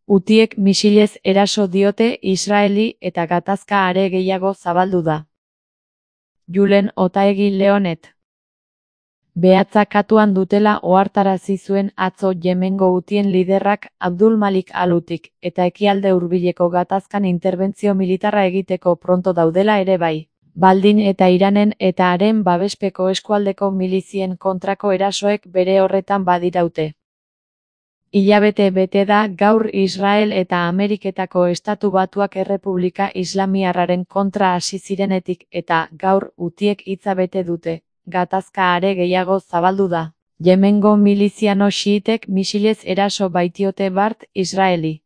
Hutiek misilez eraso diote Israeli eta gatazka are gehiago zabaldu da. Julen Otaegi Leonet. Behatza katuan dutela ohartarazi zuen atzo Yemengo hutien liderrak Abdul Malik al-Hutik eta ekialde hurbileko gatazkan interbentzio militarra egiteko pronto daudela ere bai. Baldin eta Iranen eta haren babespeko eskualdeko milizien kontrako erasoek bere horretan badiraute. Hilabete bete da gaur Israel eta Ameriketako Estatu Batuak Errepublika Islamiarraren kontra hasi zirenetik eta gaur hutiek hitza bete dute. Gatazka are gehiago zabaldu da. Yemengo miliziano xiitek misilez eraso baitiote bart Israeli.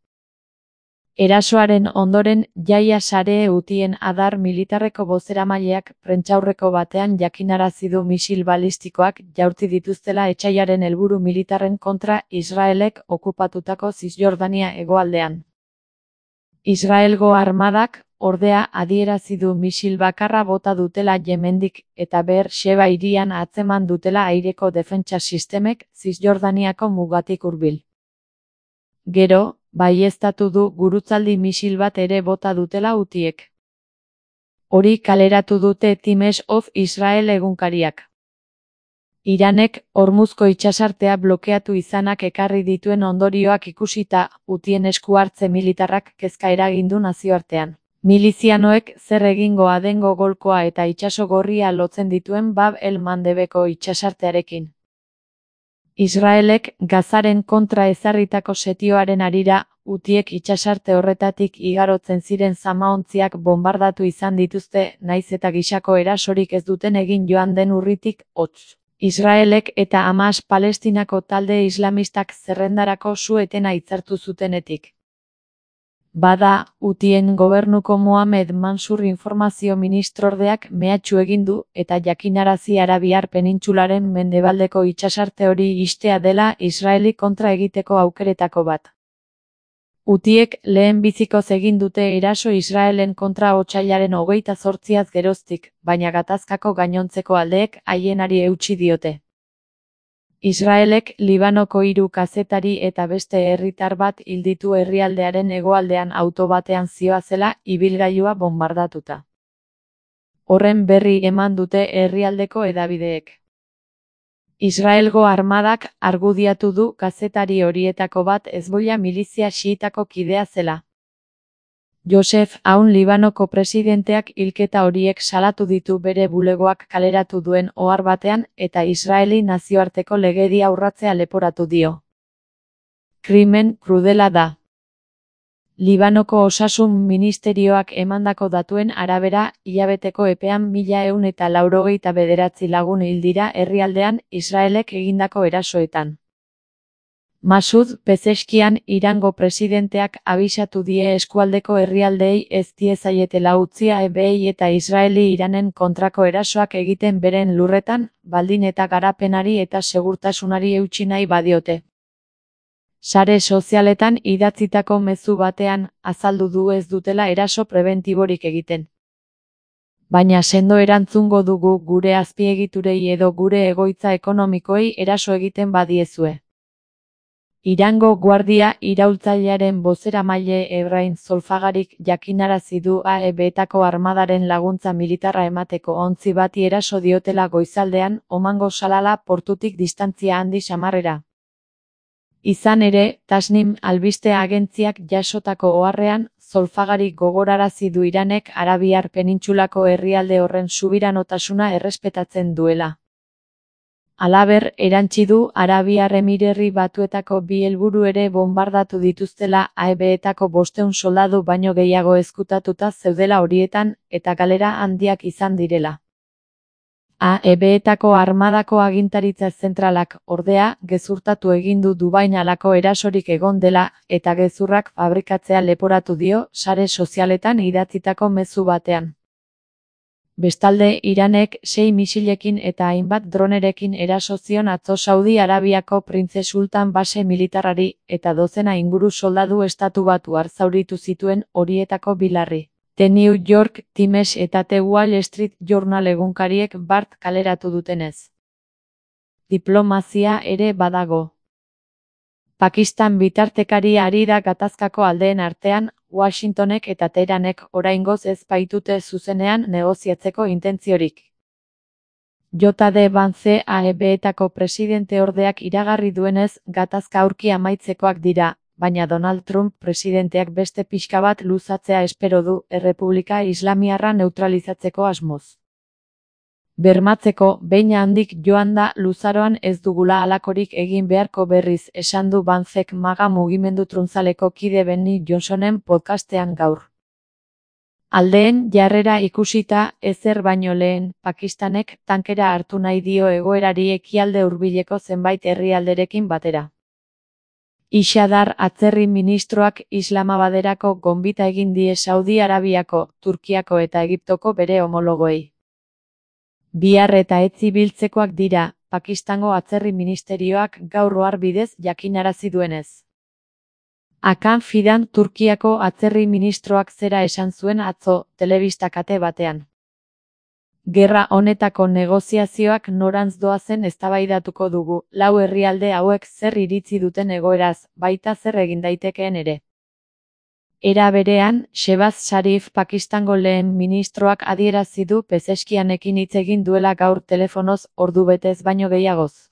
Erasoaren ondoren Jaia Sare hutien adar militarreko bozeramaileak prentsaurreko batean jakinarazi du misil balistikoak jaurti dituztela etsaiaren helburu militarren kontra Israelek okupatutako Zisjordania hegoaldean. Israelgo armadak ordea adierazi du misil bakarra bota dutela Yemendik eta Beer Sheba hirian atzeman dutela aireko defentsa sistemek Zisjordaniako mugatik hurbil. Gero, baieztatu du gurutzaldi misil bat ere bota dutela hutiek. Hori kaleratu dute Times of Israel egunkariak. Iranek Hormuzko itsasartea blokeatu izanak ekarri dituen ondorioak ikusita, hutien esku hartze militarrak kezka eragindu nazioartean. Milizianoek zer egingoa dengo golkoa eta itsaso gorria lotzen dituen Bab el-Mandebeko itsasartearekin. Israelek Gazaren kontra ezarritako setioaren harira, hutiek itsasarte horretatik igarotzen ziren zamaontziak bonbardatu izan dituzte, naiz eta gisako erasorik ez duten egin joan den urritik, hotz. Israelek eta Hamas Palestinako talde islamistak zerrendarako su-etena hitzartu zutenetik. Bada, hutien gobernuko Mohamed Mansur informazio ministrordeak mehatxu egin du eta jakinarazi Arabiar penintsularen mendebaldeko itsasarte hori ixtea dela Israeli kontra egiteko aukeretako bat. Hutiek lehenbizikoz egin dute eraso Israelen kontra otsailaren 28az geroztik, baina gatazkako gainontzeko aldeek haienari eutsi diote. Israelek Libanoko 3 kazetari eta beste herritar bat hil ditu herrialdearen hegoaldean auto batean zihoazela ibilgailua bonbardatuta. Horren berri eman dute herrialdeko hedabideek. Israelgo armadak argudiatu du kazetari horietako bat Hezbollah milizia xiitako kidea zela. Josef Aoun Libanoko presidenteak hilketa horiek salatu ditu bere bulegoak kaleratu duen ohar batean eta Israeli nazioarteko legedia urratzea leporatu dio. Krimen krudela da. Libanoko osasun ministerioak emandako datuen arabera, hilabeteko epean 1189 lagun hil dira herrialdean Israelek egindako erasoetan. Masud Pezeskian Irango presidenteak abisatu die eskualdeko herrialdeei ez diezaietela utzia ebeei eta Israeli Iranen kontrako erasoak egiten beren lurretan, baldin eta garapenari eta segurtasunari eutsi nahi badiote. Sare sozialetan idatzitako mezu batean azaldu du ez dutela eraso prebentiborik egiten. Baina sendo erantzungo dugu gure azpiegiturei edo gure egoitza ekonomikoei eraso egiten badiezue. Irango guardia iraultzailearen bozeramaile Ebrahim Zolfagarik jakinarazi du AEB-etako armadaren laguntza militarra emateko ontzi bati eraso diotela goizaldean Omango Salala portutik distantzia handi samarrera. Izan ere, Tasnim albiste agentziak jasotako oharrean, Zolfagarik gogorarazi du Iranek Arabiar penintsulako herrialde horren subiranotasuna errespetatzen duela. Halaber, erantsi du Arabiar Emirerri Batuetako 2 helburu ere bonbardatu dituztela AEB-etako 500 soldadu baino gehiago ezkutatuta zeudela horietan eta galera handiak izan direla. AEB-etako armadako agintaritza zentralak, ordea, gezurtatu egin du Dubain halako erasorik egon dela eta gezurrak fabrikatzea leporatu dio sare sozialetan idatzitako mezu batean. Bestalde, Iranek 6 misilekin eta hainbat dronerekin eraso zion atzo Saudi Arabiako Printze Sultan base militarrari eta dozena inguru soldadu Estatu Batuar zauritu zituen horietako 2 larri. The New York Times eta The Wall Street Journal egunkariek bart kaleratu dutenez. Diplomazia ere badago. Pakistan bitartekari ari da gatazkako aldeen artean, Washingtonek eta Teheranek oraingoz ez baitute zuzenean negoziatzeko intentziorik. J.D. Vance AEB-etako presidenteordeak iragarri duenez, gatazka aurki amaitzekoak dira, baina Donald Trump presidenteak beste pixka bat luzatzea espero du, Errepublika Islamiarra neutralizatzeko asmoz. Bermatzeko, behin handik joan da luzaroan ez dugula halakorik egin beharko berriz, esan du Vancek MAGA mugimendu truntzaleko kide Benny Johnsonen podcastean gaur. Aldeen jarrera ikusita, ezer baino lehen, Pakistanek tankera hartu nahi dio egoerari ekialde hurbileko zenbait herrialderekin batera. Ishadar atzerri ministroak Islamabaderako gonbita egin die Saudi Arabiako, Turkiako eta Egiptoko bere homologoei. Bihar eta etzi biltzekoak dira, Pakistango atzerri ministerioak gaur ohar bidez jakinarazi duenez. Hakan Fidan Turkiako atzerri ministroak zera esan zuen atzo, telebista kate batean. Gerra honetako negoziazioak norantz doazen eztabaidatuko dugu, lau herrialde hauek zer iritzi duten egoeraz, baita zer egin daitekeen ere. Era berean, Shehbaz Sharif Pakistango lehen ministroak adierazi du Pezeskianekin hitz egin duela gaur telefonoz, ordu betez baino gehiagoz.